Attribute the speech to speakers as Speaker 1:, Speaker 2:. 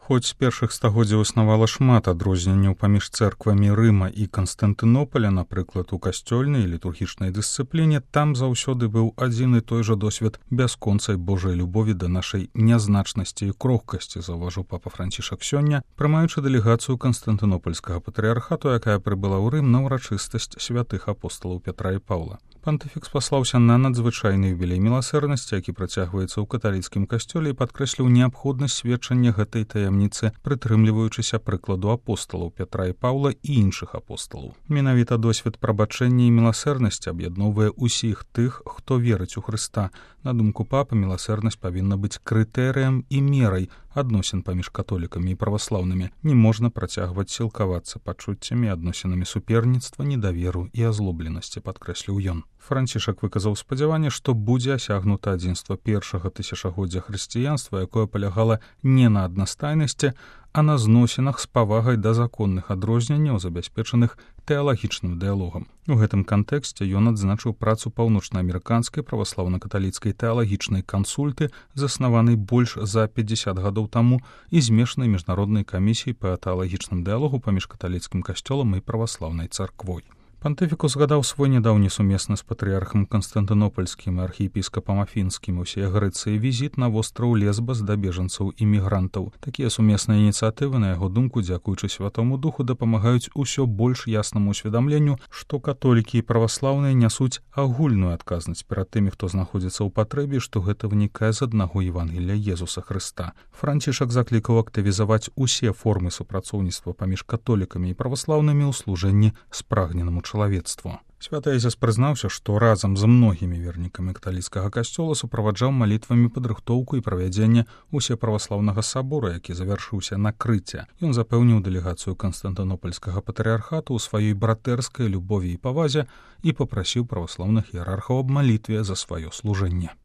Speaker 1: Хоць з першых стагоддзяў існавала шмат адрозненняў паміж цэрквамі Рыма і Канстантынополя, напрыклад, у касцёльнай і літургічнай дысцыпліне, там заўсёды быў адзін і той жа досвед бясконцай Божай любові да нашай нязначнасці і крохкасці, заўважыў папа Францішак сёння, прымаючы дэлегацыю Канстантынопольскага патрыярхату, якая прыбыла ў Рым на ўрачыстасць святых апосталаў Пятра і Паўла. Пантыфік спаслаўся на надзвычайны юбілей міласэрнасці, які працягваецца ў каталіцкім касцёле, і падкрэсліў неабходнасць сведчання гэтай таямніцы, прытрымліваючыся прыкладу апосталаў Пятра і Паўла і іншых апосталаў. Менавіта досвед прабачэння і міласэрнасці аб'ядноўвае ўсіх тых, хто верыць у Хрыста. На думку папы, міласэрнасць павінна быць крытэрыем і мерай адносін паміж католікамі і праваслаўнымі. Не можна працягваць сілкавацца пачуццямі, адносінамі суперніцтва, недаверу і азлобленасці, падкрэсліў ён. Францішак выказаў спадзяванне, што будзе асягнута адзінства першага тысячагоддзя хрысціянства, якое палягала не на аднастайнасці, а на зносінах з павагай да законных адрозненняў, забяспечаных тэалагічным дыялогам. У гэтым кантэксце ён адзначыў працу паўночнаамерыканскай праваслаўна-каталіцкай тэалагічнай кансульты, заснаванай больш за 50 гадоў таму, і змешанай міжнароднай камісіяй па тэалагічным дыялогу паміж каталіцкім касцёлам і праваслаўнай царквой. Пантыфік узгадаў свой нядаўні сумесны з патрыярхам Канстантынопольскім і архіепіскапам Афінскім усей Грэцыі візіт на востраў Лесбас да бежанцаў і мігрантаў. Такія сумесныя ініцыятывы, на яго думку, дзякуючы Святому Духу, дапамагаюць усё больш яснаму ўсведамленню, што католікі і праваслаўныя нясуць агульную адказнасць перад тымі, хто знаходзіцца ў патрэбе, што гэта вынікае з аднаго Евангелія Езуса Хрыста. Францішак заклікаў актывізаваць усе формы супрацоўніцтва паміж католікамі і праваслаўнымі ў служэнні спрагненаму чалавецтву. Святы Эзяс прызнаўся, што разам з многімі вернікамі каталіцкага касцёла суправаджаў малітвамі падрыхтоўку і правядзенне усеправаслаўнага сабора, які завяршыўся накрыцця. Ён запэўніў дэлегацыю Канстантынопольскага патрыярхату ў сваёй братэрскай любові і павазе і папрасіў праваслаўных іерархаў аб малітве за сваё служэнне.